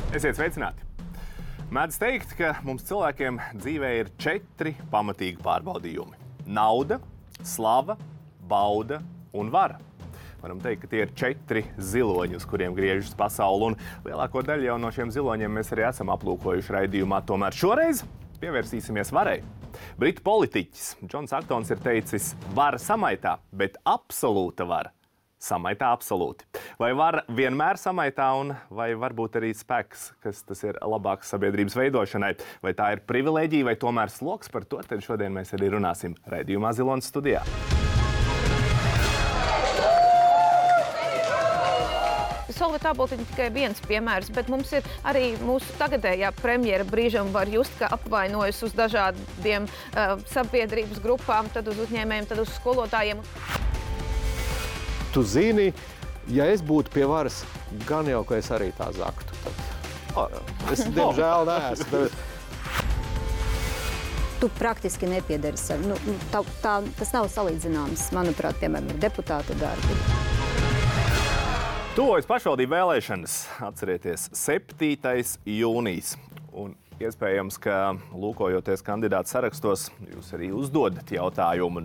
Esiet sveicināti! Mēdz teikt, ka mums cilvēkiem dzīvē ir 4 pamatīgi pārbaudījumi – nauda, slava, bauda un vara. Varam teikt, ka tie ir 4 ziloņi, uz kuriem griežas pasaule, un lielāko daļu jau no šiem ziloņiem mēs arī esam aplūkojuši raidījumā. Tomēr šoreiz pievērsīsimies varai. Britu politiķis Džons Aktons ir teicis, vara samaitā, bet absolūta vara samaitā absolūti. Vai vara vienmēr samaitā, un vai varbūt arī spēks, kas tas ir labāks sabiedrības veidošanai? Vai tā ir privilēģija vai tomēr sloks? Par to tad šodien mēs arī runāsim raidījumā Zilonis studijā. Solvita Āboltiņa tikai viens piemērs, bet mums ir arī mūsu tagadējā premjera brīžam var just, ka apvainojas uz dažādiem sabiedrības grupām, tad uz uzņēmējiem, tad uz skolotājiem. Tu zini, ja es būtu pie varas, gan jau, ka es arī tā zaktu. Es, diemžēl, neesmu. Tu praktiski nepiedari sev. Tas nav salīdzināms, manuprāt, piemēram, ar deputāta darbu. Tuvojas pašvaldību vēlēšanas. Atcerieties, 7. jūnijas. Un iespējams, ka lūkojoties kandidātu sarakstos, jūs arī uzdodat jautājumu,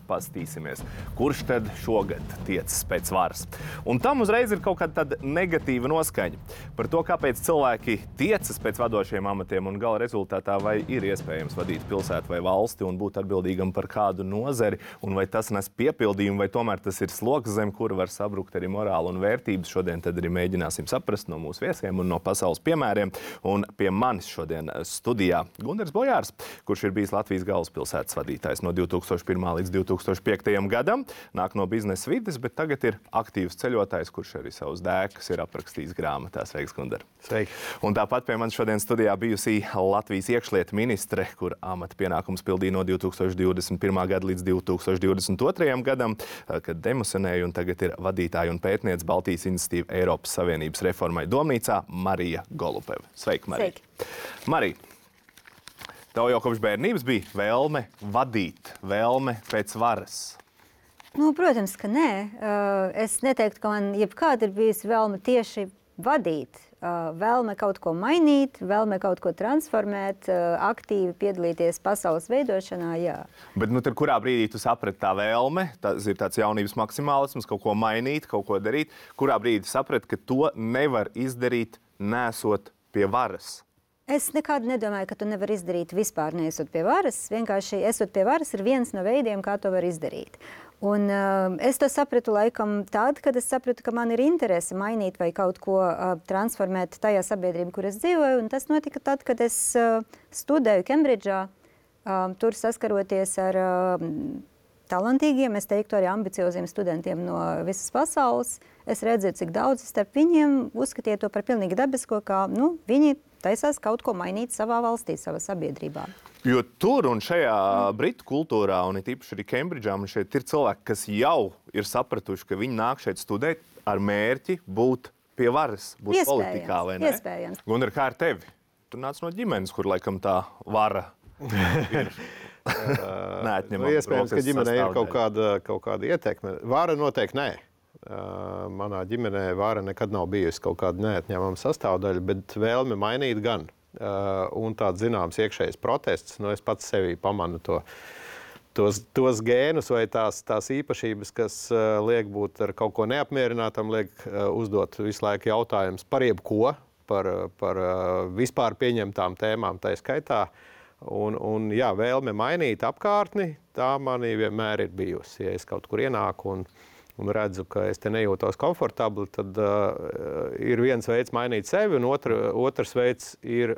pastīsimies, kurš tad šogad tiecas pēc varas. Un tam uzreiz ir kaut kāda tāda negatīva noskaņa par to, kāpēc cilvēki tiecas pēc vadošiem amatiem un gala rezultātā, vai ir iespējams vadīt pilsētu vai valsti un būt atbildīgam par kādu nozari, un vai tas nes piepildījumu, vai tomēr tas ir sloks, zem kura var sabrukt arī morāla un vērtības. Šodien tad arī mēģināsim saprast no mūsu viesiem un no pasaules piemēriem. Un pie manis šodien studijā Gundars Bojārs, kurš ir bijis Latvijas galvaspilsētas vadītājs no 2001. līdz 2005. gadam, nāk no biznesa vides, bet tagad ir aktīvs ceļotājs, kurš arī savus dēkas ir aprakstījis grāmatā. Sveiks, Gundar! Sveiki! Un tāpat pie manis šodien studijā bijusī Latvijas iekšlietu ministre, kur amata pienākums pildīja no 2021. gada līdz 2022. gadam, kad demosionēja un tagad ir vadītāja un pētniece Baltijas iniciatīva Eiropas Savienības reformai domnīcā Marija Golupeva. Sveiki, Marija! Sveiki! Marija, tev jau kopš bērnības bija vēlme vadīt, vēlme pēc varas? Protams, ka nē. Es neteiktu, ka man jebkāda ir bijusi vēlme tieši vadīt. Vēlme kaut ko mainīt, vēlme kaut ko transformēt, aktīvi piedalīties pasaules veidošanā, jā. Bet tad kurā brīdī tu saprati tā vēlme, tas ir tāds jaunības maksimālisms, kaut ko mainīt, kaut ko darīt, kurā brīdī saprati, ka to nevar izdarīt, nesot pie varas? Es nekad nedomāju, ka tu nevari izdarīt vispār neesot pie varas. Vienkārši esot pie varas ir viens no veidiem, kā to var izdarīt. Un es to sapratu laikam tad, kad es sapratu, ka man ir interese mainīt vai kaut ko transformēt tajā sabiedrībā, kur es dzīvoju. Un tas notika tad, kad es studēju Kembridžā, tur saskaroties ar talantīgiem, es teiktu arī ambicioziem studentiem no visas pasaules. Es redzēju, cik daudz starp viņiem uzskatīja to par pilnīgi dabisko, kā viņi taisās kaut ko mainīt savā valstī, savā sabiedrībā. Jo tur un šajā britu kultūrā, un it īpaši arī Kembridžā, un šeit ir cilvēki, kas jau ir sapratuši, ka viņi nāk šeit studēt ar mērķi būt pie varas, būt politikā, vai ne? Iespējams. Gundar, kā ar tevi? Tu nāc no ģimenes, kur laikam tā vara ir neatņemama. Iespējams, ka ģimenē ir kaut kāda ietekme. Vara noteikti nē. Manā ģimenē vara nekad nav bijusi kaut kāda neatņemama sastāvdaļa, bet vēlme mainīt gan. Un tāds zināms iekšējs protests, es pats sevī pamanu tos gēnus vai tās īpašības, kas liek būt ar kaut ko neapmierinātam, liek uzdot visu laiku jautājumus par jebko, par vispār pieņemtām tēmām tā skaitā. Un jā, vēlme mainīt apkārtni, tā manī vienmēr ir bijusi. Ja es kaut kur ienāku un redzu, ka es te nejūtos komfortabli, tad ir viens veids mainīt sevi, un otrs veids ir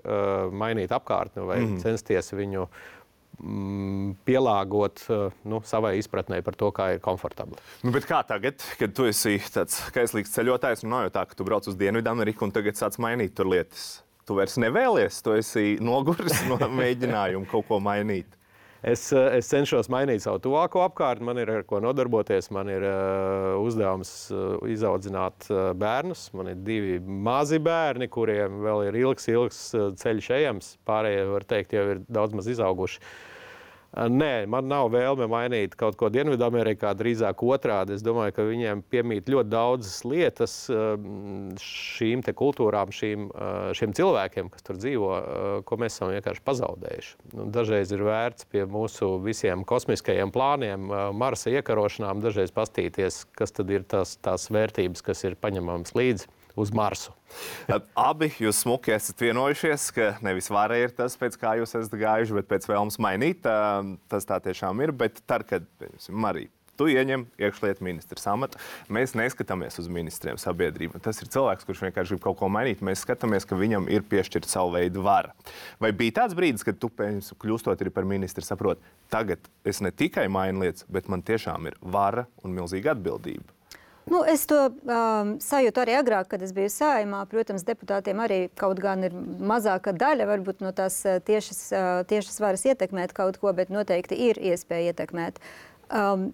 mainīt apkārtni vai censties viņu pielāgot savai izpratnei par to, kā ir komfortabli. Bet kā tagad, kad tu esi tāds kaislīgs ceļotājs, nav jau tā, ka tu brauc uz Dienvidameriku un tagad sāc mainīt tur lietas? Tu vairs nevēlies, tu esi noguris no mēģinājumu kaut ko mainīt. Es cenšos mainīt savu tuvāko apkārtni, man ir ar ko nodarboties, man ir uzdevums izaudzināt bērnus. Man ir 2 mazi bērni, kuriem vēl ir ilgs ceļš ejams, pārējie, var teikt, jau ir daudz maz izauguši. Nē, man nav vēlme mainīt kaut ko Dienvidamerikā, drīzāk otrādi. Es domāju, ka viņiem piemīt ļoti daudzas lietas šīm te kultūrām, šiem cilvēkiem, kas tur dzīvo, ko mēs esam vienkārši pazaudējuši. Dažreiz ir vērts pie mūsu visiem kosmiskajiem plāniem, Marsa iekarošanām, dažreiz pastīties, kas tad ir tās vērtības, kas ir paņemamas līdzi uz Marsu. Abi jūs smuki esat vienojušies, ka nevis vara ir tas, pēc kā jūs esat gājuši, bet pēc vēlmes mainīt. Tas tā tiešām ir, bet tad, kad, Marija, tu ieņem iekšlietu ministra amatu, mēs neskatāmies uz ministriem sabiedrību. Tas ir cilvēks, kurš vienkārši grib kaut ko mainīt. Mēs skatāmies, ka viņam ir piešķirta savu veidu vara. Vai bija tāds brīdis, kad tu, kļūstot arī par ministru, saproti, tagad es ne tikai mainu lietas, bet man tiešām ir vara un milzīga atbildība? Es to sajūtu arī agrāk, kad es biju Saeimā. Protams, deputātiem arī kaut gan ir mazāka daļa varbūt no tās tiešas varas ietekmēt kaut ko, bet noteikti ir iespēja ietekmēt.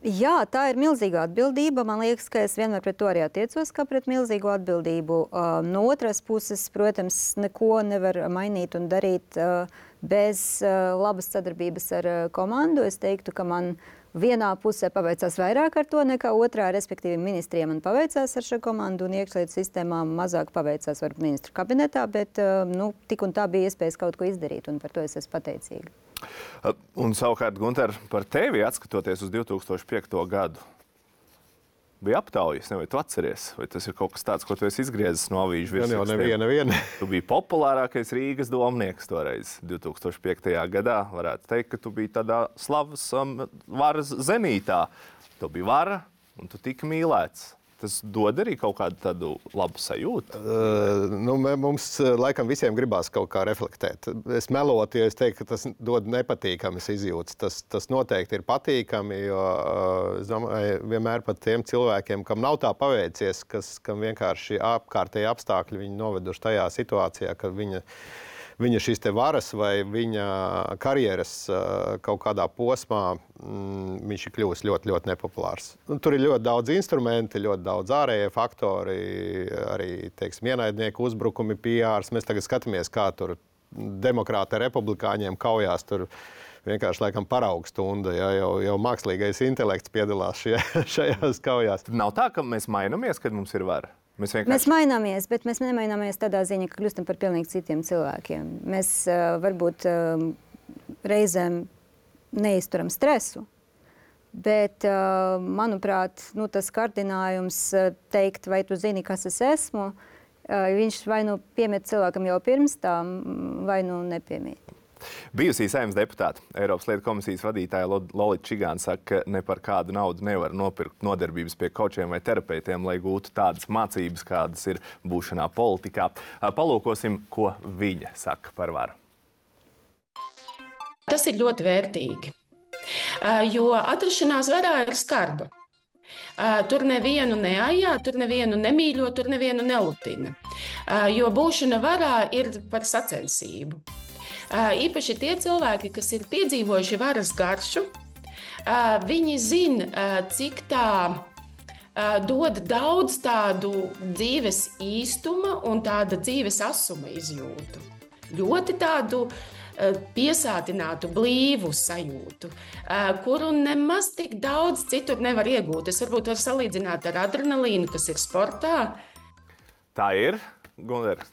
Jā, tā ir milzīga atbildība. Man liekas, ka es vienmēr pret to arī attiecos, kā pret milzīgu atbildību. No otras puses, protams, neko nevar mainīt un darīt bez labas sadarbības ar komandu. Es teiktu, ka man vienā pusē paveicās vairāk ar to nekā otrā, respektīvi ministriem man paveicās ar šo komandu un iekšlietu sistēmām mazāk paveicās varbūt ministru kabinetā, bet tik un tā bija iespējas kaut ko izdarīt un par to es esmu pateicīga. Un savukārt, Gunter, par tevi atskatoties uz 2005. gadu, bija aptaujas, vai tu atceries? Vai tas ir kaut kas tāds, ko tu esi izgriezis no avīžu virsrakstiem? Jā, neviena. Tu biji populārākais Rīgas domnieks toreiz, 2005. gadā. Varētu teikt, ka tu biji tādā slavas varas zenītā. Tu biji vara un tu tiki mīlēts. Tas dod arī kaut kādu tādu labu sajūtu? Mums laikam visiem gribās kaut kā reflektēt. Es melotu, ja es teiktu, ka tas dod nepatīkamas izjūtas. Tas noteikti ir patīkami, jo es domāju, vienmēr pat tiem cilvēkiem, kam nav tā paveicies, kam vienkārši apkārtēji apstākļi viņi noveduši tajā situācijā, ka viņa šīs te varas vai viņa karjeras kaut kādā posmā viņš ir kļuvis ļoti, ļoti nepopulārs. Tur ir ļoti daudz instrumenti, ļoti daudz ārējie faktori, arī, ienaidnieku uzbrukumi, PRs. Mēs tagad skatāmies, kā tur demokrāti ar republikāņiem kaujās, tur vienkārši laikam paraugu stunda, jau mākslīgais intelekts piedalās šajās kaujās. Nav tā, ka mēs mainamies, kad mums ir vara? Mēs maināmies, bet mēs nemaināmies tādā ziņā, ka kļūstam par pilnīgi citiem cilvēkiem. Mēs varbūt reizēm neizturam stresu, bet, manuprāt, tas kārdinājums teikt, vai tu zini, kas es esmu, viņš vai nu piemīt cilvēkam jau pirms tam, vai nu nepiemīt. Bijusī Saeimas deputāte, Eiropas lietu komisijas vadītāja Lolita Čigāna saka, ka ne par kādu naudu nevar nopirkt nodarbības pie kočiem vai terapeitiem, lai gūtu tādas mācības, kādas ir būšanā politikā. Palūkosim, ko viņa saka par varu. Tas ir ļoti vērtīgi, jo atrašanās varā ir skarba. Tur nevienu neajā, tur nevienu nemīļo, tur nevienu nelutina, jo būšana varā ir par sacensību. Īpaši tie cilvēki, kas ir piedzīvojuši varas garšu, viņi zina, cik tā dod daudz tādu dzīves īstuma un tāda dzīves asuma izjūtu. Ļoti tādu piesātinātu, blīvu sajūtu, kuru nemaz tik daudz citur nevar iegūt. Es varbūt varu salīdzināt ar adrenalīnu, kas ir sportā. Tā ir, Gunter?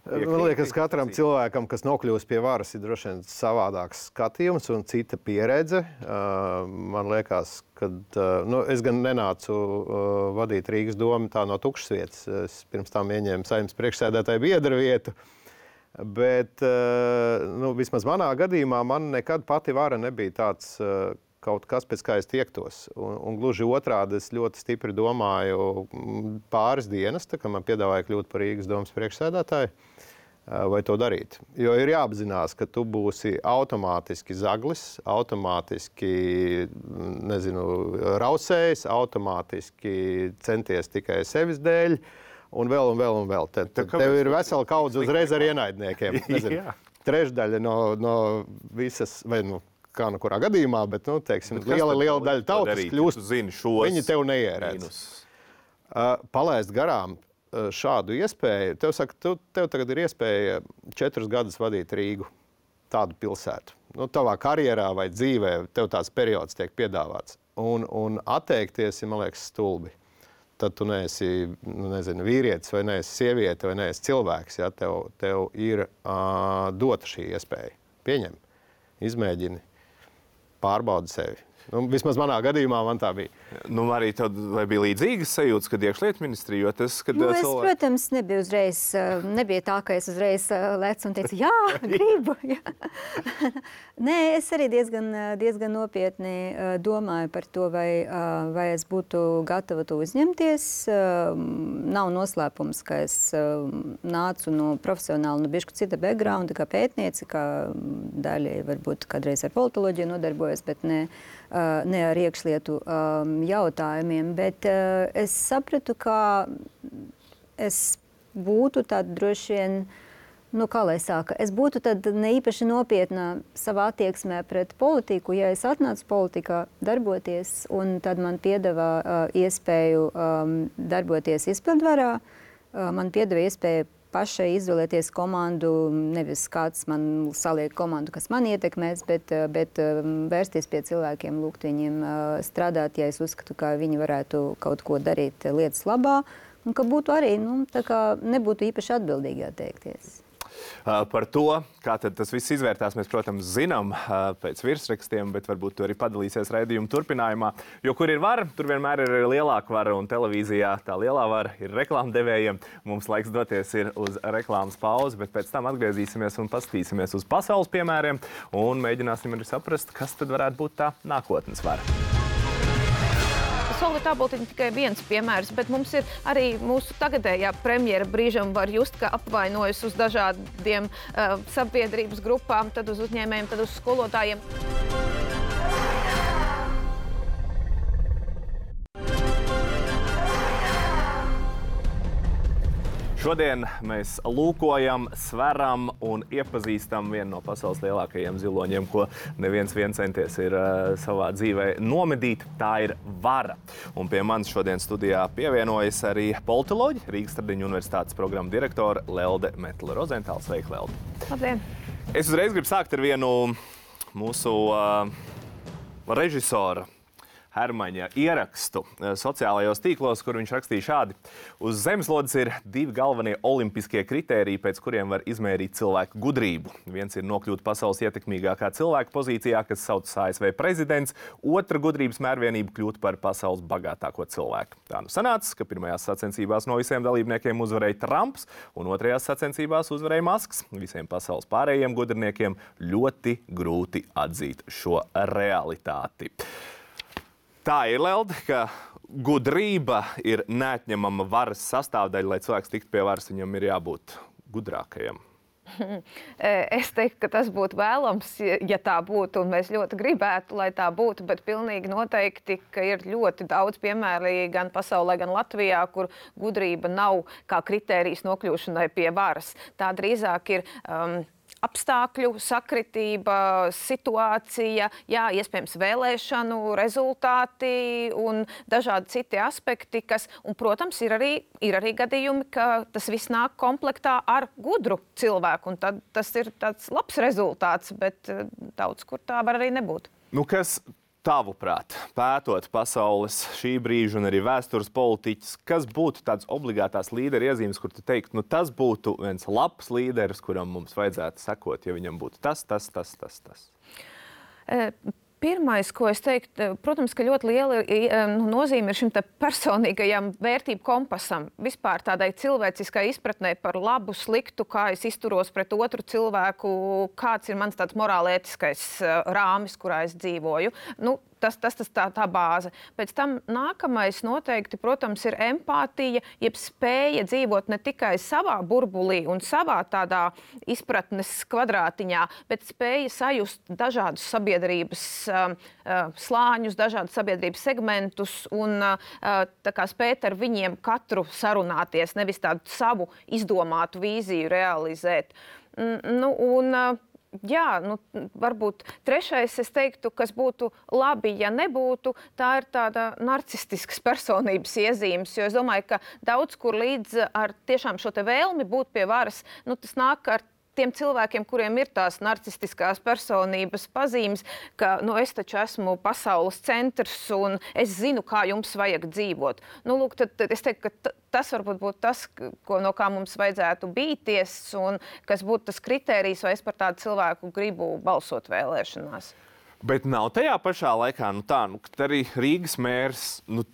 Man liekas, katram cilvēkam, kas nokļūst pie varas, ir droši vien savādāks skatījums un cita pieredze. Man liekas, ka es gan nenācu vadīt Rīgas domu tā no tukšas vietas. Es pirms tam ieņēmu Saeimas priekšsēdētāju biedra vietu. Bet vismaz manā gadījumā man nekad pati vara nebija tāds kaut kas, pēc kā es tiektos. Un gluži otrādi es ļoti stipri domāju pāris dienas, tā kā man piedāvāja kļūt par Rīgas domas priekšsēdētāju, vai to darīt. Jo ir jāapzinās, ka tu būsi automātiski zaglis, automātiski, rausējs, automātiski centies tikai sevis dēļ, un vēl. Tev ir vesela kaudze uzreiz ar ienaidniekiem. Trešdaļa no visas, vai kā no kurā gadījumā, bet, liela daļa tautas kļūst, viņi tev neierēdz. Palaist garām šādu iespēju, tev tagad ir iespēja 4 gadus vadīt Rīgu, tādu pilsētu. tavā karjerā vai dzīvē, tev tāds periods tiek piedāvāts. Un atteikties, man liekas, stulbi. Tad tu neesi, vīrietis, vai neesi sieviete, vai neesi cilvēks. Ja? Tev ir dota šī iespēja. Pieņem, izmēģini, pārbaudi sevi. Vismaz manā gadījumā man tā bija. Arī tev bija līdzīgas sajūtas, kad iekšlietu ministrija, jo tas, kad es, protams, nebija tā, ka es uzreiz lecu un teicu, jā, gribu. Jā. Nē, es arī diezgan nopietni domāju par to, vai es būtu gatava to uzņemties. Nav noslēpums, ka es nācu no profesionāli, no bišķi cita backgrounda, kā pētnieci, kā daļai varbūt kādreiz ar politoloģiju nodarbojos, bet ne ar iekšlietu jautājumiem, bet es sapratu, ka es būtu tad droši vien, kā lai sāka, es būtu tad ne īpaši nopietna savā attieksmē pret politiku, ja es atnācu politikā darboties, un tad man piedāvā iespēju darboties izpildvarā, man piedāvā iespēju pašai izvēlēties komandu, nevis kāds man saliek komandu, kas man ietekmēs, bet vērsties pie cilvēkiem, lūgt viņiem strādāt, ja es uzskatu, ka viņi varētu kaut ko darīt lietas labā, un ka būtu arī, tā kā nebūtu īpaši atbildīgi atteikties. Par to, kā tad tas viss izvērtās, mēs, protams, zinām pēc virsrakstiem, bet varbūt tu arī padalīsies raidījuma turpinājumā. Jo kur ir vara, tur vienmēr ir lielāka vara, un televīzijā tā lielā vara ir reklāmdevējiem. Mums laiks doties ir uz reklāmas pauzi, bet pēc tam atgriezīsimies un paskatīsimies uz pasaules piemēriem un mēģināsim arī saprast, kas tad varētu būt tā nākotnes vara. Solvita Āboltiņa tikai viens piemērs, bet mums ir arī mūsu tagadējā premjera brīžam var just, ka apvainojas uz dažādiem sabiedrības grupām, tad uz uzņēmējiem, tad uz skolotājiem. Šodien mēs lūkojam, sveram un iepazīstam vienu no pasaules lielākajiem ziloņiem, ko neviens centies ir savā dzīvē nomedīt. Tā ir vara. Un pie manis šodien studijā pievienojas arī politoloģi, Rīgas Stradiņu universitātes programmu direktore Lelde Metle-Rozentāle. Sveika, Lelde! Labdien! Es uzreiz gribu sākt ar vienu mūsu režisora Hermaņa ierakstu sociālajos tīklos, kur viņš rakstīja šādi. Uz zemeslodes ir divi galvenie olimpiskie kritēriji, pēc kuriem var izmērīt cilvēku gudrību. Viens ir nokļūt pasaules ietekmīgākā cilvēka pozīcijā, kas saucas ASV prezidents. Otra gudrības mērvienība kļūt par pasaules bagātāko cilvēku. Tā nu sanāca, ka pirmajās sacensībās no visiem dalībniekiem uzvarēja Trumps, un otrajās sacensībās uzvarēja Masks. Visiem pasaules pārējiem gudrniekiem ļoti grūti atzīt šo realitāti. Tā ir, Lelde, ka gudrība ir neatņemama varas sastāvdaļa, lai cilvēks tiktu pie varas, viņam ir jābūt gudrākajam. Es teiktu, ka tas būtu vēlams, ja tā būtu, un mēs ļoti gribētu, lai tā būtu, bet pilnīgi noteikti, ka ir ļoti daudz piemēri gan pasaulē, gan Latvijā, kur gudrība nav kā kritērijs nokļūšanai pie varas. Tā drīzāk ir apstākļu sakritība, situācija, jā, iespējams vēlēšanu rezultāti un dažādi citi aspekti, un, protams, ir arī gadījumi, ka tas viss nāk komplektā ar gudru cilvēku, un tad tas ir tāds labs rezultāts, bet daudz kur tā var arī nebūt. Kas tavuprāt, pētot pasaules šī brīža un arī vēstures politiķus, kas būtu tāds obligātās līdera iezīmes, kur tu teiktu, tas būtu viens labs līderis, kuram mums vajadzētu sekot, ja viņam būtu tas. Pirmais, ko es teiktu, protams, ka ļoti liela nozīme ir šim personīgajam vērtību kompasam. Vispār tādai cilvēciskai izpratnē par labu, sliktu, kā es izturos pret otru cilvēku, kāds ir mans tāds morālētiskais rāmis, kurā es dzīvoju. Tas tā bāze. Pēc tam nākamais noteikti, protams, ir empātija, jeb spēja dzīvot ne tikai savā burbulī un savā tādā izpratnes kvadrātiņā, bet spēja sajust dažādus sabiedrības slāņus, dažādus sabiedrības segmentus un tā kā spēt ar viņiem katru sarunāties, nevis tādu savu izdomātu vīziju realizēt. Varbūt trešais, es teiktu, kas būtu labi, ja nebūtu, tā ir tāda narcistiskas personības iezīmes, jo es domāju, ka daudz kur līdz ar tiešām šo te vēlmi būt pie varas, tas nāk ar tiem cilvēkiem, kuriem ir tās narcistiskās personības pazīmes, ka es taču esmu pasaules centrs un es zinu, kā jums vajag dzīvot. Lūk, tad es teiktu, ka tas varbūt būtu tas, no kā mums vajadzētu bīties un kas būtu tas kritērijs, vai es par tādu cilvēku gribu balsot vēlēšanās. Bet nav tajā pašā laikā, ka arī Rīgas mērs,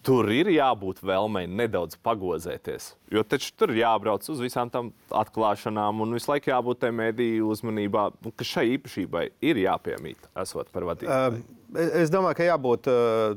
tur ir jābūt vēlmei nedaudz pagozēties. Jo taču tur ir jābrauc uz visām tam atklāšanām un visu laiku jābūt tai mediju uzmanībā, ka šai īpašībai ir jāpiemīt, esot par vadītāju. Es domāju, ka jābūt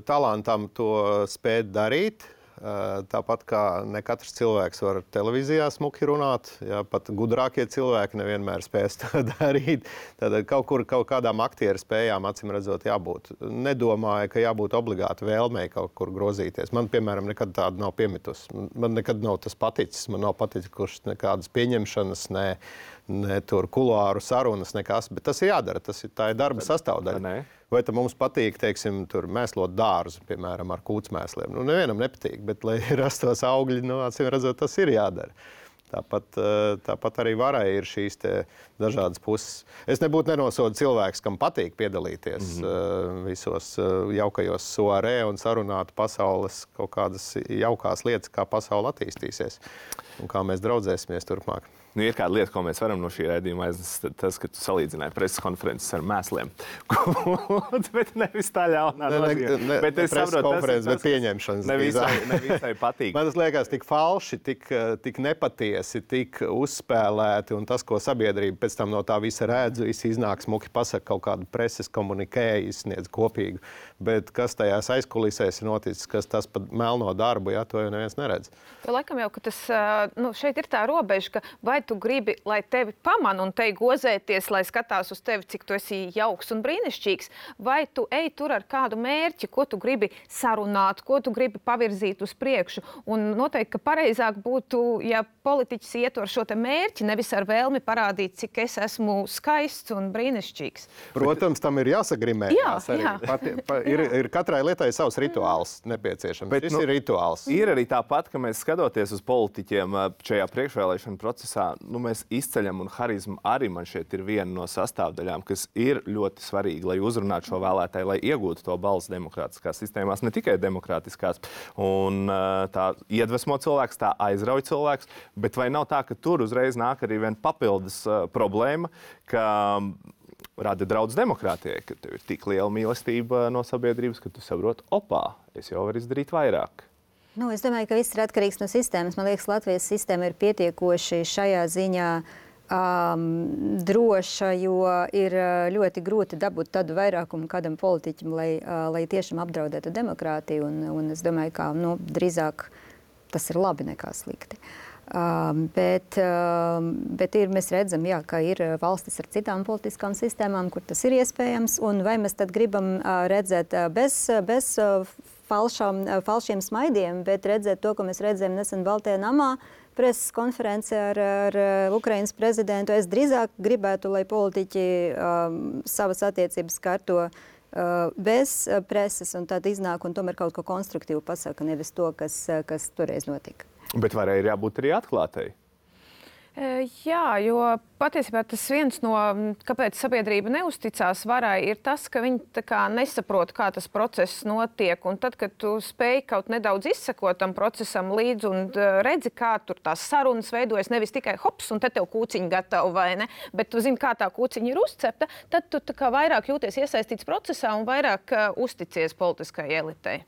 talantam to spēt darīt. Tāpat kā ne katrs cilvēks var televīzijā smuki runāt, pat gudrākie cilvēki nevienmēr spēs to darīt. Tad kaut kādām aktieru spējām, acīm redzot, jābūt. Nedomāju, ka jābūt obligāti vēlmei kaut kur grozīties. Man, piemēram, nekad tāda nav piemitus. Man nekad nav tas paticis. Man nav paticis, kurš nekādas pieņemšanas, ne tur kuluāru sarunas, nekas. Bet tas ir jādara. Tā ir darba sastāvdaļa. Vai tad mums patīk, teiksim, tur mēslot dārzu, piemēram, ar kūtsmēsliem? Nevienam nepatīk, bet, lai rastos augļi, acīm redzot, tas ir jādara. Tāpat arī varai ir šīs dažādas puses. Es nebūtu nenosodu cilvēks, kam patīk piedalīties visos jaukajos soarē un sarunāt pasaules kaut kādas jaukās lietas, kā pasaule attīstīsies un kā mēs draudzēsimies turpmāk. Ir kāda lieta, ko mēs varam no šī raidījuma aiznest, tas, ka tu salīdzināji preses konferences ar mēsliem. Bet nevis tā ļaunā nozīmē. Bet es saprotu, bet pieņemšanas. Nevisai patīk. Man tas liekas tik falši, tik nepatiesi, tik uzspēlēti, un tas, ko sabiedrība pēc tam no tā visa redz, iznāk smuki pasaka kaut kādu preses komunikē, izsniedz kopīgu. Bet kas tajās aizkulisēs ir noticis, kas tas pat melno darbu, to jau neviens neredz. Jo laikam jau, ka tas, šeit ir tā robeža, ka vai tu gribi, lai tevi pamana un te gozēties, lai skatās uz tevi, cik tu esi jauks un brīnišķīgs, vai tu ej tur ar kādu mērķi, ko tu gribi sarunāt, ko tu gribi pavirzīt uz priekšu. Un noteikti, ka pareizāk būtu, ja politiķis iet ar šo te mērķi, nevis ar vēlmi parādīt, cik es esmu skaists un brīnišķīgs. Protams, tam ir jāsagrimējās arī. Ir katrai lietai savs rituāls nepieciešams. Bet, ir rituāls. Ir arī tāpat, ka mēs skatoties uz politiķiem šajā priekšvēlēšana procesā, mēs izceļam, un harizma arī man šeit ir viena no sastāvdaļām, kas ir ļoti svarīga, lai uzrunātu šo vēlētāju, lai iegūtu to balsu demokrātiskās sistēmās, ne tikai demokrātiskās. Un tā iedvesmo cilvēks, tā aizrauj cilvēks, bet vai nav tā, ka tur uzreiz nāk arī viena papildus problēma, ka rada draudz demokrātijai, ka tev ir tik liela mīlestība no sabiedrības, ka tu saproti, es jau varu izdarīt vairāk. Es domāju, ka viss ir atkarīgs no sistēmas. Man liekas, Latvijas sistēma ir pietiekoši šajā ziņā droša, jo ir ļoti grūti dabūt tādu vairākumu kādam politiķim, lai tiešām apdraudētu demokrātiju. Un es domāju, ka drīzāk tas ir labi nekā slikti. Bet mēs redzam, ka ir valstis ar citām politiskām sistēmām, kur tas ir iespējams. Un vai mēs tad gribam redzēt bez falšiem smaidiem, bet redzēt to, ko mēs redzējām nesen Baltajā namā, preses konference ar Ukrainas prezidentu. Es drīzāk gribētu, lai politiķi savas attiecības kārto bez preses un tad iznāk un tomēr kaut ko konstruktīvu pasaka, nevis to, kas toreiz notika. Bet varai ir jābūt arī atklātai. Jā, jo patiesībā tas viens no, kāpēc sabiedrība neusticās varai, ir tas, ka viņi tā kā nesaprot, kā tas process notiek. Un tad, kad tu spēj kaut nedaudz izsekot tam procesam līdzi un redzi, kā tur tās sarunas veidojas, nevis tikai hops, un te tev kūciņa gatava, vai ne, bet tu zini, kā tā kūciņa ir uzcepta, tad tu tā kā vairāk jūties iesaistīts procesā un vairāk uzticies politiskai elitei.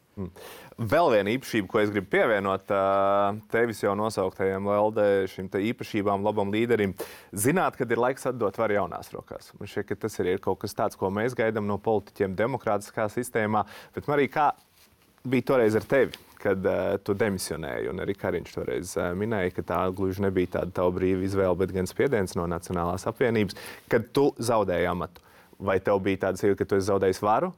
Vēl viena īpašība, ko es gribu pievienot tevis jau nosauktajiem LD šim te īpašībām, labam līderim. Zināt, kad ir laiks atdot varu jaunās rokās. Man šķiet, ka tas ir kaut kas tāds, ko mēs gaidām no politiķiem demokrātiskā sistēmā. Bet, Marija, kā bija toreiz ar tevi, kad tu demisionēji? Un arī Kariņš toreiz minēja, ka tā gluži nebija tāda tava brīva izvēle, bet gan spiediens no Nacionālās apvienības. Kad tu zaudēji amatu, vai tev bija tāda sajūta, ka tu esi zaudējis varu,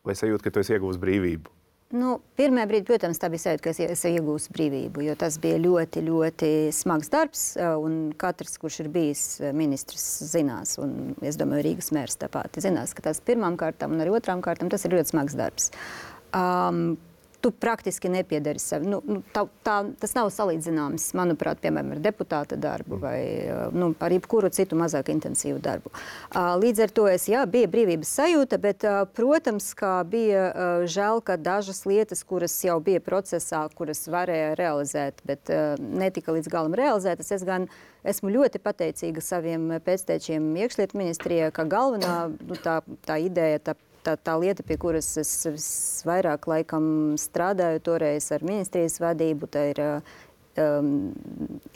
vai sajūta, ka tu esi iegūs brīvību? Pirmajā brīdī, protams, tā bija sajūta, ka es iegūstu brīvību, jo tas bija ļoti, ļoti smags darbs, un katrs, kurš ir bijis ministrs, zinās, un es domāju, Rīgas mērs tāpat zinās, ka tas pirmām kārtām un arī otrām kārtām tas ir ļoti smags darbs. tu praktiski nepiedari sev. Tas nav salīdzināms, manuprāt, piemēram, ar deputāta darbu vai ar jebkuru citu mazāk intensīvu darbu. Līdz ar to bija brīvības sajūta, bet, protams, kā bija žēl, ka dažas lietas, kuras jau bija procesā, kuras varēja realizēt, bet netika līdz galam realizētas, es gan esmu ļoti pateicīga saviem pēctečiem iekšlietu ministrijai, ka galvenā tā ideja, tā lieta, pie kuras es vairāk laikam strādāju toreiz ar ministrijas vadību, tā ir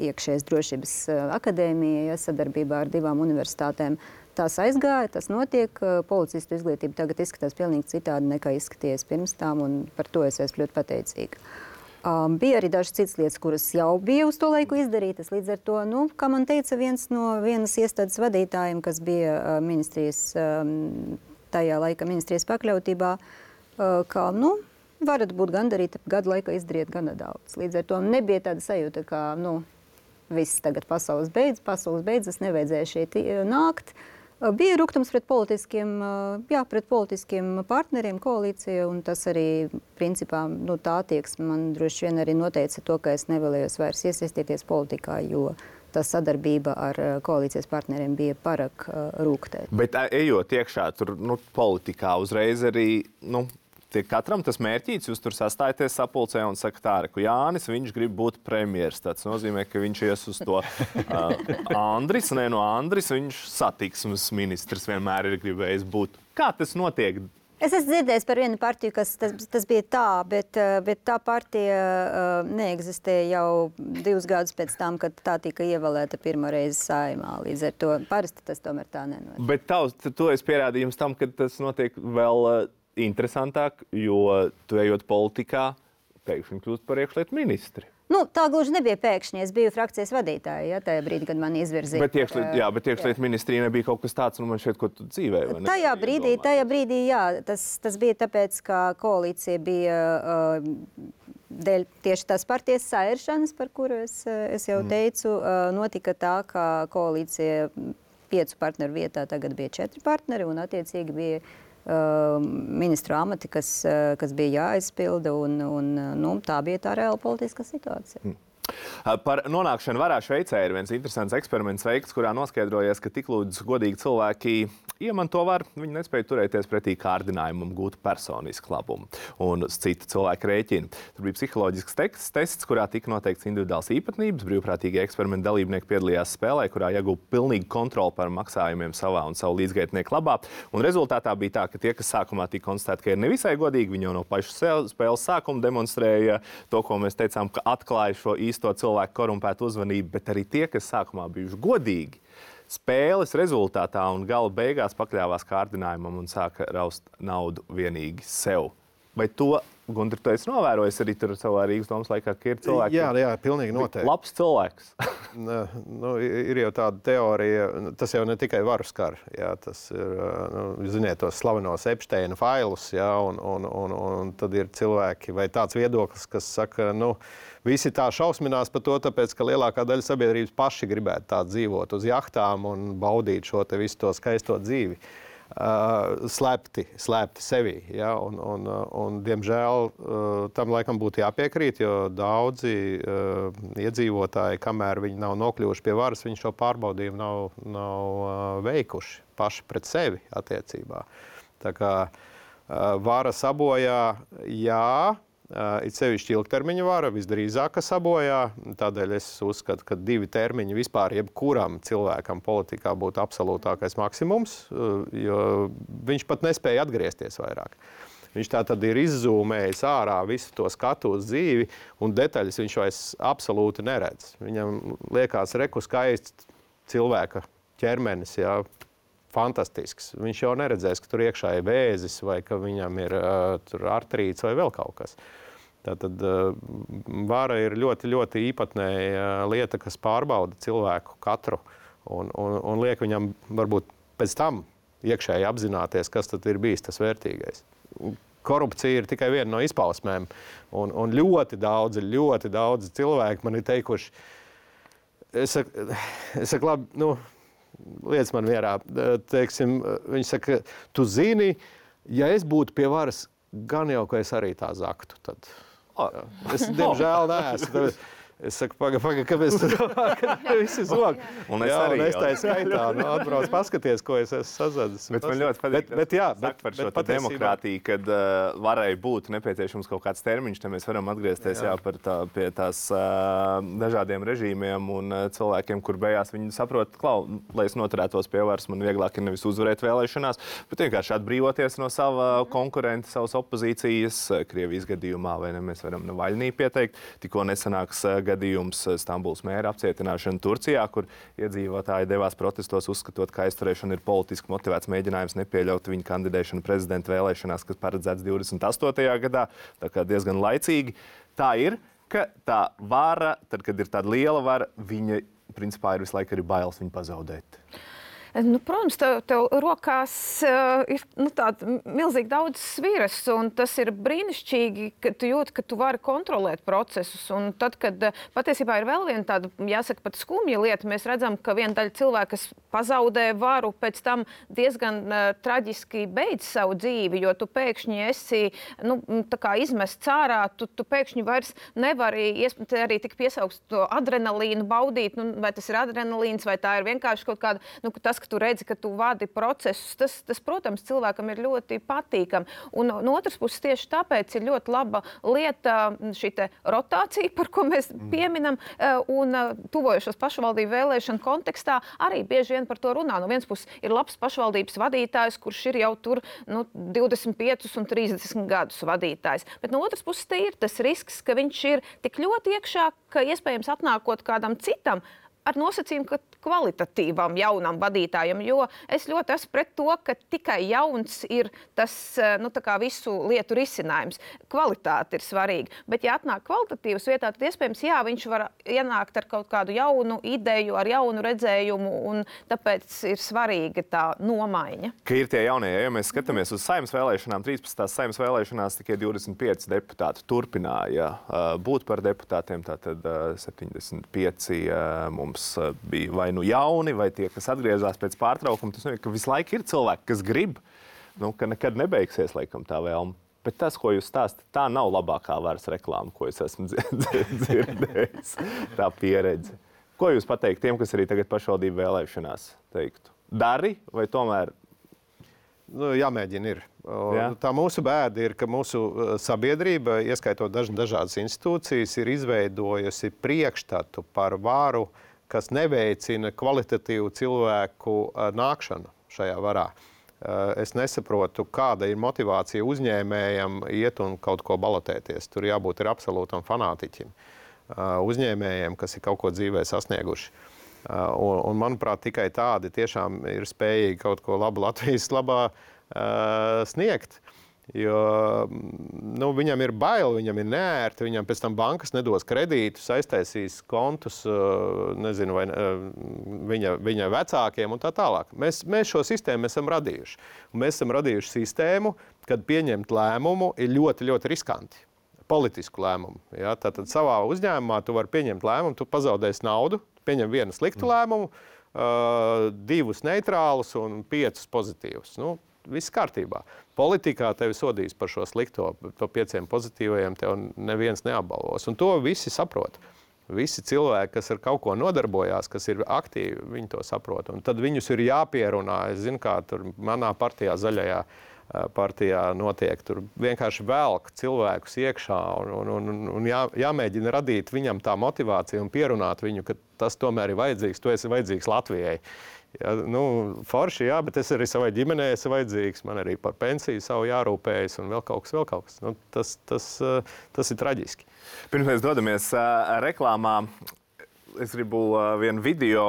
iekšējās drošības akadēmija, sadarbībā ar 2 universitātēm. Tās aizgāja, tas notiek. Policistu izglītība tagad izskatās pilnīgi citādi nekā izskaties pirms tām, un par to es esmu ļoti pateicīga. Bija arī dažas citas lietas, kuras jau bija uz to laiku izdarītas. Līdz ar to, kā man teica vienas iestādes vadītājiem, kas bija ministrijas tajā laika ministrijas pakļautībā, ka, varat būt gandarīti, gadu laikā izdariet gana daudz. Līdz ar to nebija tāda sajūta, ka, viss tagad pasaules beidzas, nevajadzēja šeit nākt. Bija rūgtums pret politiskiem partneriem koalīcija, un tas arī, principā, tā attieksme man droši vien arī noteica to, ka es nevēlējos vairs iesaistīties politikā, jo tā sadarbība ar koalīcijas partneriem bija pārāk rūgtēta. Bet ejot iekšā tur politikā uzreiz arī, tiek katram tas mērķīts, jūs tur sastājaties sapulcē un sakat tā, ka Jānis, viņš grib būt premjers. Tas nozīmē, ka viņš ies uz to Andris, Andris, viņš satiksmes ministrs vienmēr ir gribējis būt. Kā tas notiek? Es esmu dzirdējis par vienu partiju, kas tas bija tā, bet tā partija neeksistēja jau 2 gadus pēc tam, kad tā tika ievēlēta pirmo reizi Saeimā. Līdz ar to parasti tas tomēr tā nenotiek. Bet to es pierādījums tam, ka tas notiek vēl interesantāk, jo tu ejot politikā, pēkšņi kļūst par iekšlietu ministri. Tā gluži nebija pēkšņi. Es biju frakcijas vadītāja, tajā brīdī, kad man izvirzīja. Bet iekšlietu ministrija nebija kaut kas tāds, man šeit, ko tu dzīvēji. Tajā brīdī, jā. Tas bija tāpēc, ka koalīcija bija dēļ tieši tās partijas sairšanas, par kuru es jau teicu, notika tā, ka koalīcija 5 partneru vietā tagad bija 4 partneri, un attiecīgi bija ministru amati, kas bija jāizpilda, un tā bija tā reāla politiskā situācija. Par nonākšanu varā Šveicē ir viens interesants eksperiments veikts, kurā noskaidrojies, ka tik lūdzu godīgi cilvēki iemanto varu, viņi nespēja turēties pretī kārdinājumam gūt personisku labumu un citu cilvēku rēķinu. Tur bija psiholoģisks tests, kurā tika noteikts individuāls īpatnības. Brīvprātīgie eksperimenta dalībnieki piedalījās spēlē, kurā iegūta pilnīga kontrole par maksājumiem savā un savu līdzgaitnieku labā. Un rezultātā bija tā, ka tie, kas sākumā tika konstatēti, ka ir nevisai godīgi, viņi jau no paša spēles sākuma demonstrēja to, ko mēs teicām, ka atklāja šo īsto cilvēku korumpētu uzmanību, bet arī tie, kas sākumā bijuši godīgi, spēles rezultātā un gala beigās pakļāvās kārdinājumam un sāka raust naudu vienīgi sev. Vai to, Gunter, tu esi novērojis arī tur savā Rīgas domas laikā, ka ir cilvēki? Jā, pilnīgi noteikti. Labs cilvēks. Ir jau tāda teorija, tas jau ne tikai varu skar. Jā, tas ir, ziniet, tos slavenos Epsteina failus, jā, un tad ir cilvēki vai tāds viedoklis, kas saka, visi tā šausminās par to, tāpēc, ka lielākā daļa sabiedrības paši gribētu tā dzīvot uz jahtām un baudīt šo te visu to skaisto dzīvi. Slēpti sevi. Ja? Un, diemžēl, tam laikam būtu jāpiekrīt, jo daudzi iedzīvotāji, kamēr viņi nav nokļuvuši pie varas, viņi šo pārbaudījumu nav veikuši paši pret sevi attiecībā. Tā kā vara sabojā, jā, it sevišķi ilgtermiņa vara visdrīzāk sabojā. Tādēļ es uzskatu, ka 2 termiņi vispār jebkuram cilvēkam politikā būtu absolūtākais maksimums, jo viņš pat nespēja atgriezties vairāk. Viņš tā tad ir izzūmējis ārā visu to skatu uz dzīvi, un detaļas viņš vairs absolūti neredz. Viņam liekas skaists cilvēka ķermenis, jā, fantastisks. Viņš jau neredzēs, ka tur iekšā ir vēzis vai ka viņam ir artrīts vai vēl kaut kas. Tātad vara ir ļoti, ļoti īpatnēja lieta, kas pārbauda cilvēku katru un liek viņam varbūt pēc tam iekšēji apzināties, kas tad ir bijis tas vērtīgais. Korupcija ir tikai viena no izpausmēm un ļoti daudzi cilvēki man ir teikuši, es saku labi, lietas man mierā, teiksim, viņi saka, tu zini, ja es būtu pie varas, gan jau, ka es arī tā zaktu. Tad. Es, diemžēl, neesmu. Es saku, pagaid, kāpēc tu domā, ka visi zog? Un es arī. Un es tā skaitā, atbrauc paskaties, ko es esmu sazadis. Bet man ļoti patīk, bet par šo demokrātiju, kad varēja būt nepieciešams kaut kāds termiņš, te mēs varam atgriezties pie tās dažādiem režīmiem un cilvēkiem, kur beigās viņi saprot, lai es noturētos pie varas, man vieglāk ir nevis uzvarēt vēlēšanās, bet vienkārši atbrīvoties no sava konkurenta, savas opozīcijas. Krievijas gadījumā, vai ne, mēs varam Navaļnī pieteikt. Tikko nesanāks gadījums Stambulas mēra apcietināšana Turcijā, kur iedzīvotāji devās protestos, uzskatot, ka aizturēšana ir politiski motivēts mēģinājums nepieļaut viņa kandidēšanu prezidenta vēlēšanās, kas paredzēts 28. gadā, tā kā diezgan laicīgi. Tā ir, ka tā vara, tad, kad ir tāda liela vara, viņa principā ir visu laiku arī bailes viņu pazaudēt. Protams, tev rokās ir tāda milzīgi daudz sviras, un tas ir brīnišķīgi, ka tu jūti, ka tu vari kontrolēt procesus. Un tad, kad patiesībā ir vēl viena tāda, jāsaka, pat skumja lieta, mēs redzam, ka viena daļa cilvēka, kas pazaudē varu, pēc tam diezgan traģiski beidz savu dzīvi, jo tu pēkšņi esi tā kā izmests ārā, tu pēkšņi vairs nevari arī tik piesaukst to adrenalīnu baudīt, vai tas ir adrenalīns, vai tā ir vienkārši kaut kāda, tas, ka tu redzi, ka tu vadi procesus, tas, protams, cilvēkam ir ļoti patīkami. Un no otras puses tieši tāpēc ir ļoti laba lieta šī rotācija, par ko mēs pieminam, un tuvojušos pašvaldību vēlēšanu kontekstā arī bieži vien par to runā. No vienas puses ir labs pašvaldības vadītājs, kurš ir jau tur 25 un 30 gadus vadītājs. Bet no otras puses te ir tas risks, ka viņš ir tik ļoti iekšā, ka iespējams atnākot kādam citam, ar nosacījumu, ka kvalitatīvam jaunam vadītājam, jo es ļoti esmu pret to, ka tikai jauns ir tas, tā kā visu lietu risinājums. Kvalitāte ir svarīga, bet ja atnāk kvalitatīvas vietā, tad iespējams, viņš var ienākt ar kaut kādu jaunu ideju, ar jaunu redzējumu, un tāpēc ir svarīga tā nomaiņa. Ka ir tie jaunie, ja mēs skatāmies uz Saeimas vēlēšanām, 13. Saeimas vēlēšanās tikai 25 deputāti turpināja būt par deputātiem, tātad 75 mums bija vai jauni, vai tie, kas atgriezās pēc pārtraukuma. Tas nozīmē, ka visu laiku ir cilvēki, kas grib, ka nekad nebeigsies, laikam, tā vēlme. Bet tas, ko jūs stāstat, tā nav labākā varas reklāma, ko es esmu dzirdējis, tā pieredze. Ko jūs pateikt tiem, kas arī tagad pašvaldību vēlēšanās teiktu? Dari vai tomēr? Jāmēģina ir. Tā mūsu bēda ir, ka mūsu sabiedrība, ieskaitot dažādas institūcijas, ir izveidojusi priekšstatu par varu, kas neveicina kvalitatīvu cilvēku nākšanu šajā varā. Es nesaprotu, kāda ir motivācija uzņēmējam iet un kaut ko balotēties. Tur jābūt ir absolūtam fanātiķim. Uzņēmējiem, kas ir kaut ko dzīvē sasnieguši. Un manuprāt, tikai tādi tiešām ir spējīgi kaut ko labu Latvijas labā sniegt. Jo viņam ir bail, viņam ir neērti, viņam pēc tam bankas nedos kredītus, aiztaisīs kontus, nezinu, vai viņa vecākiem un tā tālāk. Mēs šo sistēmu esam radījuši. Un mēs esam radījuši sistēmu, kad pieņemt lēmumu ir ļoti, ļoti riskanti. Politisku lēmumu. Ja? Tātad savā uzņēmumā tu vari pieņemt lēmumu, tu pazaudēsi naudu, pieņem vienu sliktu lēmumu, 2 neitrālus un 5 pozitīvus. Viss kārtībā. Politikā tevi sodīs par šo slikto, to 5 pozitīvajiem tev neviens neapbalvos. Un to visi saprot. Visi cilvēki, kas ar kaut ko nodarbojās, kas ir aktīvi, viņi to saprot. Un tad viņus ir jāpierunā. Es zinu, kā tur manā partijā, zaļajā partijā notiek. Tur vienkārši velk cilvēkus iekšā un jāmēģina radīt viņam tā motivācija un pierunāt viņu, ka tas tomēr ir vajadzīgs, tu esi vajadzīgs Latvijai. Ja, forši, jā, bet es arī savai ģimenei esmu vajadzīgs, man arī par pensiju savu jārūpējas un vēl kaut kas. Tas ir traģiski. Pirms mēs dodamies reklāmā, es gribu vienu video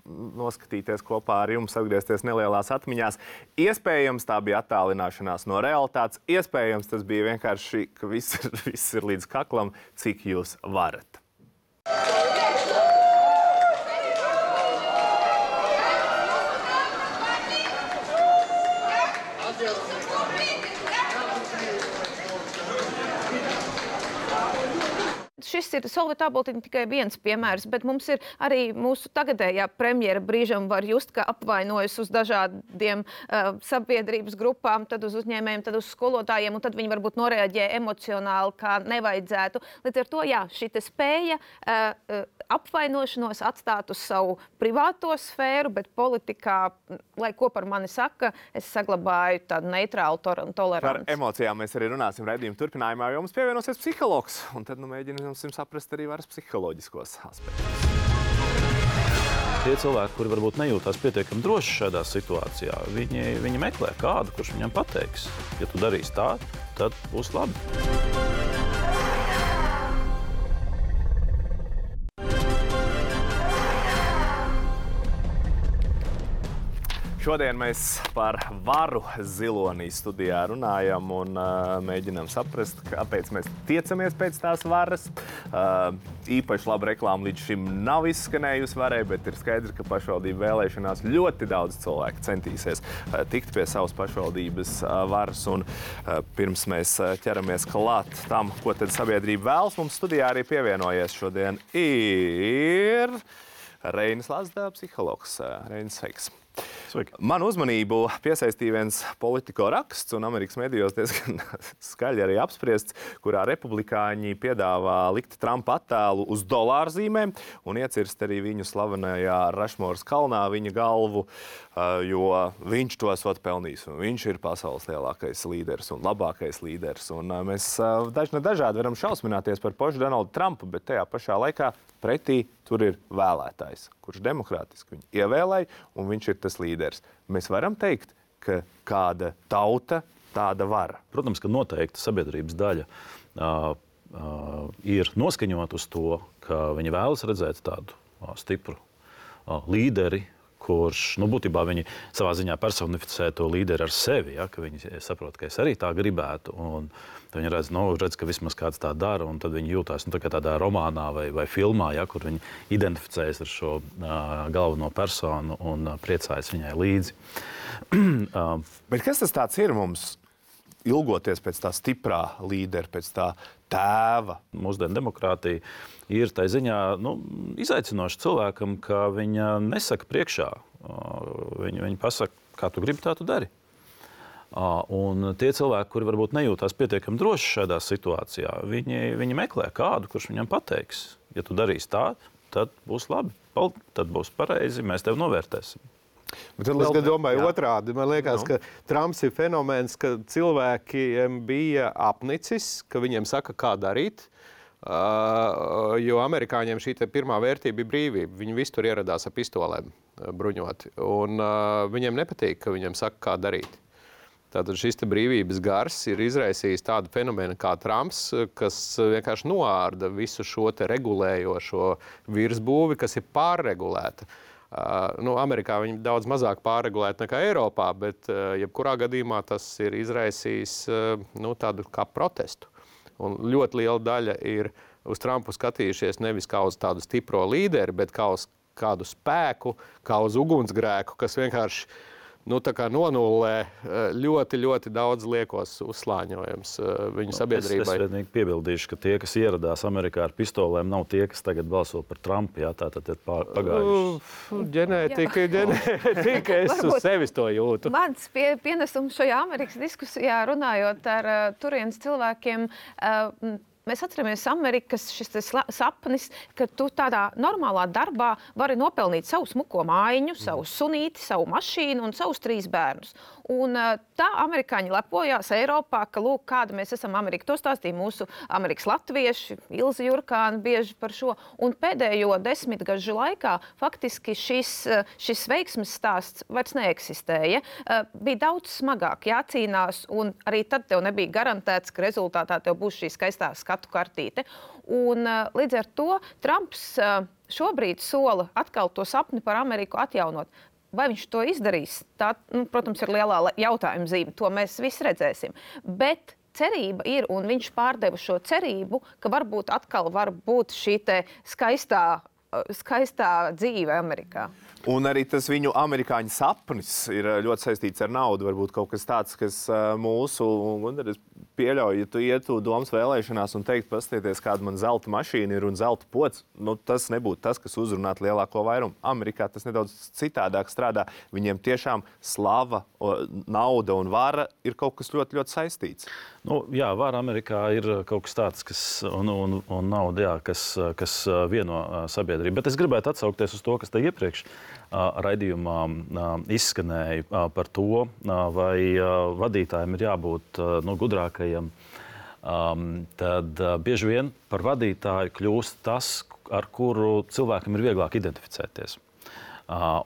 noskatīties kopā ar jums, atgriezties nelielās atmiņās. Iespējams, tā bija attālināšanās no realitātes. Iespējams, tas bija vienkārši, ka viss ir līdz kaklam, cik jūs varat. Šis ir Solvita Āboltiņa tikai viens piemērs, bet mums ir arī mūsu tagadējā premjera brīžam var just, ka apvainojas uz dažādiem sabiedrības grupām, tad uz uzņēmējiem, tad uz skolotājiem, un tad viņi varbūt noreaģē emocionāli, kā nevajadzētu. Līdz ar to, jā, šī spēja apvainošanos atstāt uz savu privāto sfēru, bet politikā, lai ko par mani saka, es saglabāju tādu neitrālu toleranci. Par emocijām mēs arī runāsim raidījuma turpinājumā, jo mums pievienosies psihologs, un tad mēģinām saprast arī varas psiholoģiskos aspektus. Tie cilvēki, kuri varbūt nejūtās pietiekami droši šādā situācijā, viņi meklē kādu, kurš viņam pateiks, ja tu darīsi tā, tad būs labi. Šodien mēs par varu zilonī studijā runājam un mēģinām saprast, kāpēc mēs tiecamies pēc tās varas. Īpaši laba reklāma līdz šim nav izskanējusi varai, bet ir skaidrs, ka pašvaldību vēlēšanās ļoti daudz cilvēku centīsies tikt pie savas pašvaldības varas. Un pirms mēs ķeramies klāt tam, ko tad sabiedrība vēlas, mums studijā arī pievienojies šodien ir Reinis Lazda, psihologs. Reinis, sveiks! Sveiki. Manu uzmanību piesaistīja viens Politico raksts un Amerikas medijos diezgan skaļi arī apspriests, kurā republikāņi piedāvā likt Trumpa attēlu uz dolārzīmēm un iecirst arī viņu slavenajā Rašmoras kalnā viņa galvu, jo viņš to esot pelnījis. Viņš ir pasaules lielākais līderis un labākais līderis. Un mēs dažādi varam šausmināties par pašu Donaldu Trumpu, bet tajā pašā laikā pretī tur ir vēlētājs, kurš demokrātiski viņu ievēlēja, un viņš ir tas līderis. Mēs varam teikt, ka kāda tauta, tāda vara. Protams, ka noteikti sabiedrības daļa ir noskaņot uz to, ka viņi vēlas redzēt tādu stipru līderi, kurš, būtībā viņi savā ziņā personificē to līderi ar sevi, ja, ka viņi saprot, ka es arī tā gribētu, un viņi redz, ka vismaz kāds tā dara, un tad viņi jūtās tā kā tādā romānā vai filmā, ja, kur viņi identificējas ar šo galveno personu un priecājas viņai līdzi. Bet kas tas tāds ir mums? Ilgoties pēc tā stiprā līdera, pēc tā tēva. Mūsdienu demokrātija ir tā ziņā izaicinoša cilvēkam, ka viņa nesaka priekšā. Viņa pasaka, kā tu gribi, tā tu dari. Un tie cilvēki, kuri varbūt nejūtās pietiekami droši šādā situācijā, viņi meklē kādu, kurš viņam pateiks, ja tu darīsi tā, tad būs labi, tad būs pareizi, mēs tevi novērtēsim. Bet es domāju otrādi. Man liekas, ka Trumps ir fenomens, ka cilvēkiem bija apnicis, ka viņiem saka, kā darīt, jo amerikāņiem šī pirmā vērtība ir brīvība. Viņi visi tur ieradās ar pistolēm bruņoti, un viņiem nepatīk, ka viņiem saka, kā darīt. Tātad šis brīvības gars ir izraisījis tādu fenomenu kā Trumps, kas vienkārši noārda visu šo regulējošo virsbūvi, kas ir pārregulēta. Amerikā viņi daudz mazāk pārregulēti nekā Eiropā, bet jebkurā gadījumā tas ir izraisījis tādu kā protestu. Un ļoti liela daļa ir uz Trumpu skatījušies nevis kā uz tādu stipro līderi, bet kā uz kādu spēku, kā uz ugunsgrēku, kas vienkārši nonullē ļoti, ļoti daudz liekos uzslāņojums viņu sabiedrībai. Es vienīgi piebildīšu, ka tie, kas ieradās Amerikā ar pistolēm, nav tie, kas tagad balso par Trumpu. Jā, tātad ir pagājuši. Ģenētika, es uz sevis to jūtu. Mans pienesums šajā Amerikas diskusijā runājot ar turienes cilvēkiem, mēs atceramies Amerikas šis sapnis, ka tu tādā normālā darbā vari nopelnīt savu smuko mājiņu, savu sunīti, savu mašīnu un savus 3 bērnus. Un tā amerikāņi lepojās Eiropā, ka lūk, kāda mēs esam Amerika. To stāstīja mūsu Amerikas latvieši, Ilze Jurkāna bieži par šo. Un pēdējo 10 gažu laikā faktiski šis veiksmes stāsts vairs neeksistēja. Bija daudz smagāk jācīnās, un arī tad tev nebija garantēts, ka rezultātā tev būs šī skaistā skatu kartīte. Un līdz ar to Trumps šobrīd sola atkal to sapni par Ameriku atjaunot. Vai viņš to izdarīs? Tā, protams, ir lielā jautājuma zīme. To mēs visi redzēsim. Bet cerība ir, un viņš pārdeva šo cerību, ka varbūt atkal var būt šī skaistā dzīve Amerikā. Un arī tas viņu amerikāņu sapnis ir ļoti saistīts ar naudu. Varbūt kaut kas tāds, kas mūsu pieļauju, ja tu ietu domas vēlēšanās un teikt, paskatieties, kāda man zelta mašīna ir un zelta pods, nu, tas nebūtu tas, kas uzrunātu lielāko vairumu. Amerikā tas nedaudz citādāk strādā. Viņiem tiešām slava, nauda un vara ir kaut kas ļoti, ļoti saistīts. Nu, jā, vara Amerikā ir kaut kas tāds, kas, un nauda, jā, kas vieno sabiedrību. Bet es gribētu atsaukties uz to, kas te iepriekš raidījumā izskanēja par to, vai vadītājiem ir jābūt gudrākajiem. Tad bieži vien par vadītāju kļūst tas, ar kuru cilvēkam ir vieglāk identificēties.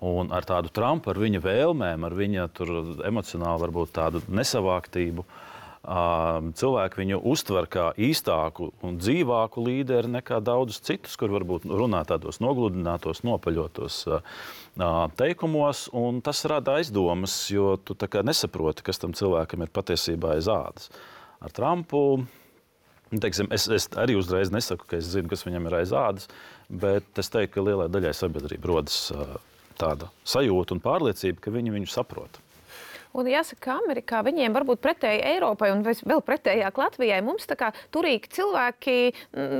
Un ar tādu Trumpu, ar viņa vēlmēm, ar viņa emocionāli varbūt tādu nesavāktību, cilvēki viņu uztver kā īstāku un dzīvāku līderi nekā daudzus citus, kur varbūt runā tādos nogludinātos, nopaļotos teikumos, un tas rada aizdomas, jo tu tā kā nesaproti, kas tam cilvēkam ir patiesībā aiz ādas. Ar Trumpu, teiksim, es arī uzreiz nesaku, ka es zinu, kas viņam ir aiz ādas, bet es teiktu, ka lielai daļai sabiedrība rodas tāda sajūta un pārliecība, ka viņi viņu saprot. Un jāsaka, ka Amerikā viņiem varbūt pretēji Eiropai un vēl pretējāk Latvijai mums tā kā turīgi cilvēki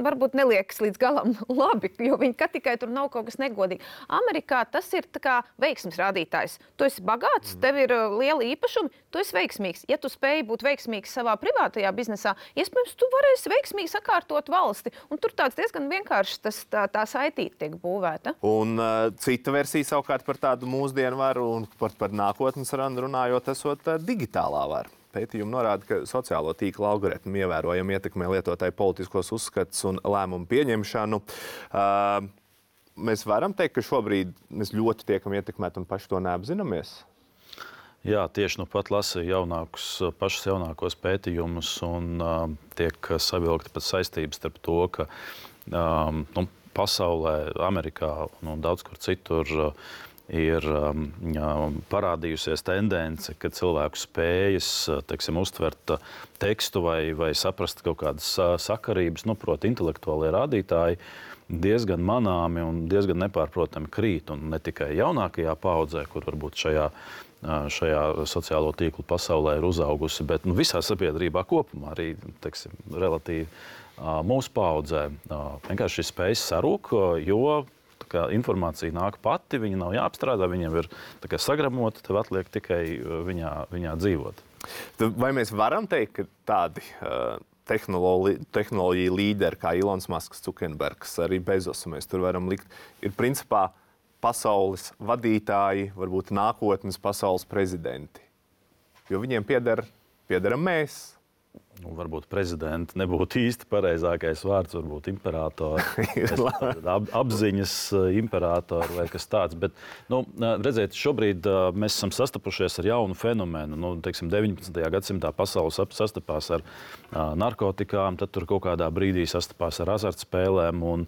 varbūt neliekas līdz galam labi, jo viņi tikai tur nav kaut kas negodīgi. Amerikā tas ir tā kā veiksmes rādītājs. Tu esi bagāts, tev ir lieli īpašumi, tu esi veiksmīgs. Ja tu spēj būt veiksmīgs savā privātajā biznesā, iespējams, tu varēsi veiksmīgi sakārtot valsti. Un tur tāds diezgan vienkārši tā saitīte tiek būvēta. Un cita versija savukārt par tādu mūsdienu varu un par nākotnes randu runājot, esot digitālā vara. Pētījumi norāda, ka sociālo tīklu algoritmi ievērojami ietekmē lietotāju politiskos uzskatus un lēmumu pieņemšanu. Mēs varam teikt, ka šobrīd mēs ļoti tiekam ietekmēti un paši to neapzināmies? Jā, tieši nu pat lasīju pašus jaunākos pētījumus un tiek savilkta pat saistības starp to, ka pasaulē, Amerikā un daudz kur citur ir parādījusies tendence, ka cilvēku spējas, teiksim, uztvert tekstu vai saprast kaut kādas sakarības, proti intelektuālie rādītāji, diezgan manāmi un diezgan nepārprotami krīt. Un ne tikai jaunākajā paaudzē, kur varbūt šajā sociālo tīklu pasaulē ir uzaugusi, bet visā sabiedrībā kopumā arī, teiksim, relatīvi mūsu paaudzē vienkārši šis spējas sarūk, jo informācija nāk pati, viņa nav jāapstrādā, viņam ir sagramota, tev atliek tikai viņā dzīvot. Vai mēs varam teikt, ka tādi tehnoloģiju līderi kā Ilons Masks, Zuckerbergs, arī Bezos, mēs tur varam likt, ir principā pasaules vadītāji, varbūt nākotnes pasaules prezidenti? Jo viņiem piederam mēs. Varbūt prezidenti nebūtu īsti pareizākais vārds, varbūt imperātori, apziņas imperātori vai kas tāds. Bet, redziet, šobrīd mēs esam sastapušies ar jaunu fenomenu. 19. gadsimtā pasaules sastapās ar narkotikām, tad tur kaut kādā brīdī sastapās ar azartspēlēm, un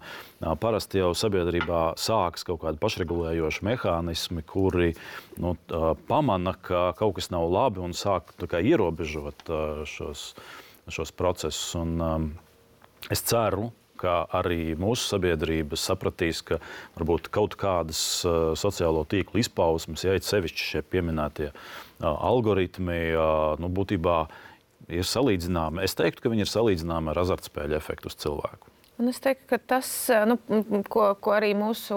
parasti jau sabiedrībā sākas kaut kādi pašregulējoši mehānismi, kuri pamana, ka kaut kas nav labi un sāk ierobežot šos procesus. Un, es ceru, ka arī mūsu sabiedrība sapratīs, ka varbūt kaut kādas sociālo tīklu izpausmes, ja it sevišķi šie pieminētie algoritmi, būtībā ir salīdzināmi. Es teiktu, ka viņi ir salīdzināmi ar azartspēļu efektu uz cilvēku. Un es teiktu, ka tas, ko arī mūsu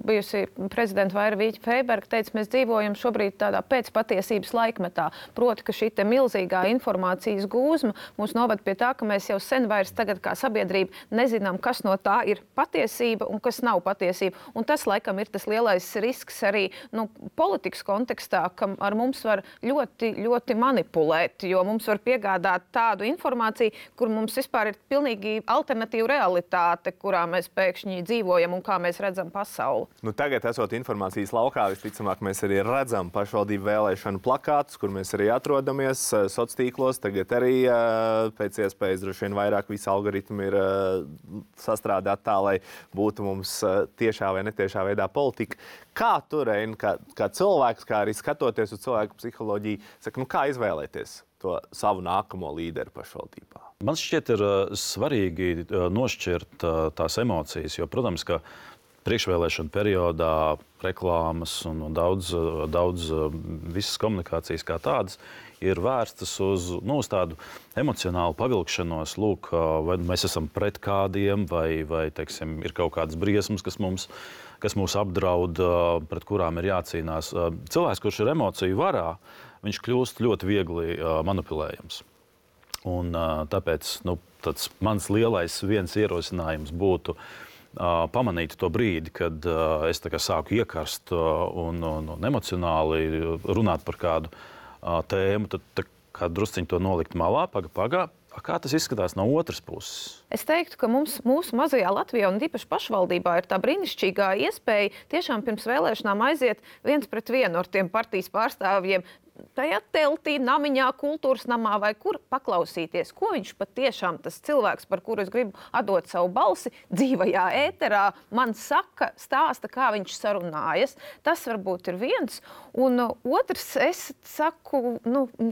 bijusi prezidenta Vaira Vīķa-Freiberga teica, mēs dzīvojam šobrīd tādā pēcpatiesības laikmetā. Proti, ka šī milzīgā informācijas gūzma mūs noved pie tā, ka mēs jau sen vairs tagad kā sabiedrība nezinām, kas no tā ir patiesība un kas nav patiesība. Un tas, laikam, ir tas lielais risks arī politikas kontekstā, ka ar mums var ļoti, ļoti manipulēt, jo mums var piegādāt tādu informāciju, kur mums vispār ir pilnīgi alternatīva realitāte, kurā mēs pēkšņi dzīvojam un kā mēs redzam pasauli. Tagad, esot informācijas laukā, visticamāk, mēs arī redzam pašvaldību vēlēšanu plakātus, kur mēs arī atrodamies sociālos tīklos. Tagad arī pēc iespējas droši vien vairāk visi algoritmi ir sastrādāti tā, lai būtu mums tiešā vai netiešā veidā politika. Kā tu, Rein, kā cilvēks, kā arī skatoties uz cilvēku psiholoģiju, saka, kā izvēlēties to savu nākamo līderi pašvaldībā? Man šķiet, ir svarīgi nošķirt tās emocijas, jo, protams, ka priekšvēlēšana periodā reklāmas un daudz visas komunikācijas kā tādas ir vērstas uz tādu emocionālu pavilkšanos. Lūk, vai mēs esam pret kādiem, vai teiksim, ir kaut kādas briesmas, kas mūs apdraud, pret kurām ir jācīnās. Cilvēks, kurš ir emociju varā, viņš kļūst ļoti viegli manipulējams. Un tāpēc tāds mans lielais viens ierosinājums būtu pamanīt to brīdi, kad es sāku iekarst un emocionāli runāt par kādu tēmu, tad kā drusciņi to nolikt malā, paga. Kā tas izskatās no otras puses? Es teiktu, ka mūsu mazajā Latvijā un īpaši pašvaldībā ir tā brīnišķīgā iespēja tiešām pirms vēlēšanām aiziet viens pret vienu ar tiem partijas pārstāvjiem tajā teltī, namiņā, kultūras namā vai kur paklausīties, ko viņš patiešām tas cilvēks, par kuru es gribu atdot savu balsi, dzīvajā ēterā, man saka, stāsta, kā viņš sarunājas. Tas varbūt ir viens. Un otrs, es saku,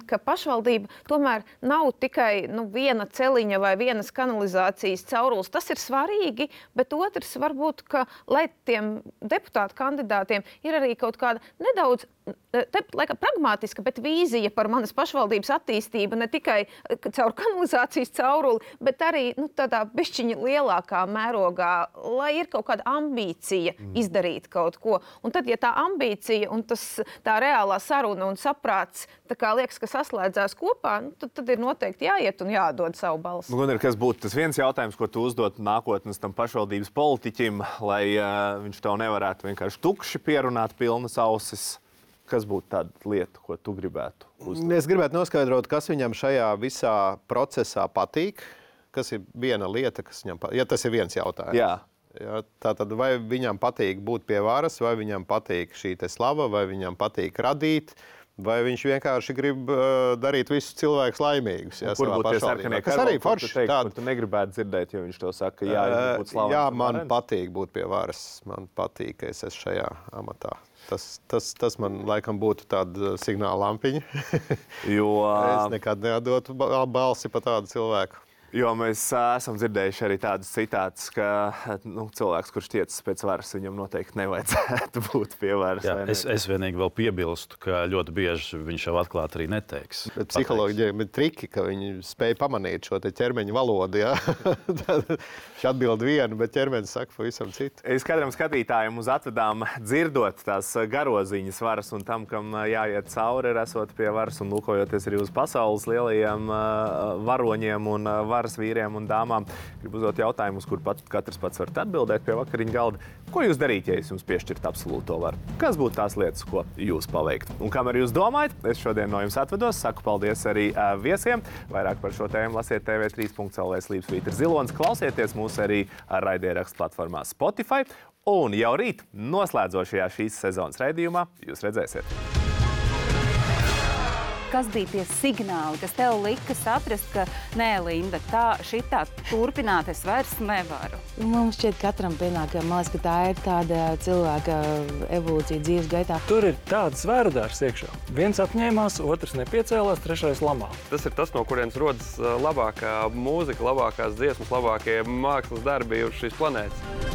ka pašvaldība tomēr nav tikai viena celiņa vai vienas kanalizācijas caurules. Tas ir svarīgi, bet otrs varbūt, ka lai tiem deputātu kandidātiem ir arī kaut kāda nedaudz pragmātiska, bet vīzija par manas pašvaldības attīstību ne tikai caur kanalizācijas cauruli, bet arī tādā bišķiņa lielākā mērogā, lai ir kaut kāda ambīcija izdarīt kaut ko. Un tad, ja tā ambīcija un tā reālā saruna un saprāts liekas, ka saslēdzās kopā, tad ir noteikti jāiet un jādod savu balsi. Gunnar, kas būtu tas viens jautājums, ko tu uzdot nākotnes tam pašvaldības politiķim, lai viņš tev nevarētu vienkārši tukši pierunāt pilnas ausis? Kas būtu tāda lieta, ko tu gribētu uzdot? Es gribētu noskaidrot, kas viņam šajā visā procesā patīk. Kas ir viena lieta, kas viņam patīk? Ja tas ir viens jautājums. Jā, tātad vai viņam patīk būt pie varas, vai viņam patīk šī slava, vai viņam patīk radīt, vai viņš vienkārši grib darīt visus cilvēkus laimīgus. Kur būtu tie sarkanie karoli, kur tu negribētu dzirdēt, jo viņš to saka, būt slavens? Jā, man patīk būt pie varas. Man patīk, ka es esmu šajā amatā. Tas man laikam būtu tāda signāla lampiņa. Es nekad neatdotu balsi pa tādu cilvēku. Jo mēs esam dzirdējuši arī tādus citātus, ka cilvēks, kurš tiecas pēc varas, viņam noteikti nevajadzētu būt pie varas. Jā, es vienīgi vēl piebilstu, ka ļoti bieži viņš jau atklāti arī neteiks. Bet psiholoģiem ir triki, ka viņi spēj pamanīt šo ķermeņa valodu. Viņš atbild vienu, bet ķermenis saka pavisam citu. Es katram skatītājam uz atvedām dzirdot tās garoziņas varas un tam, kam jāiet cauri, ir esot pie varas un lūkojoties arī uz pasaules lielajiem varoņiem un varas vīriem un dāmām. Gribu uzdot jautājumu, uz kur katrs pats varat atbildēt pie vakariņu galda. Ko jūs darītu, ja es jums piešķirtu absolūto varu? Kas būtu tās lietas, ko jūs paveiktu? Un kamēr jūs domājat, es šodien no jums atvedos. Saku paldies arī viesiem. Vairāk par šo tēmu lasiet tv3.lv/zilonis. Klausieties mūs arī raidierakstu platformā Spotify. Un jau rīt noslēdzošajā šīs sezonas raidījumā jūs redzēsiet. Kas bija tie signāli, kas tev lika saprast, ka nē, Linda, šitā turpināt es vairs nevaru? Mums šķiet, katram pienāk, man liekas, ka tā ir tāda cilvēka evolūcija dzīves gaitā. Tur ir tāds zvērudārs iekšā. Viens apņēmās, otrs nepiecēlās, trešais lamā. Tas ir tas, no kurienes rodas labākā mūzika, labākās dziesmas, labākie mākslas darbi uz šīs planētas.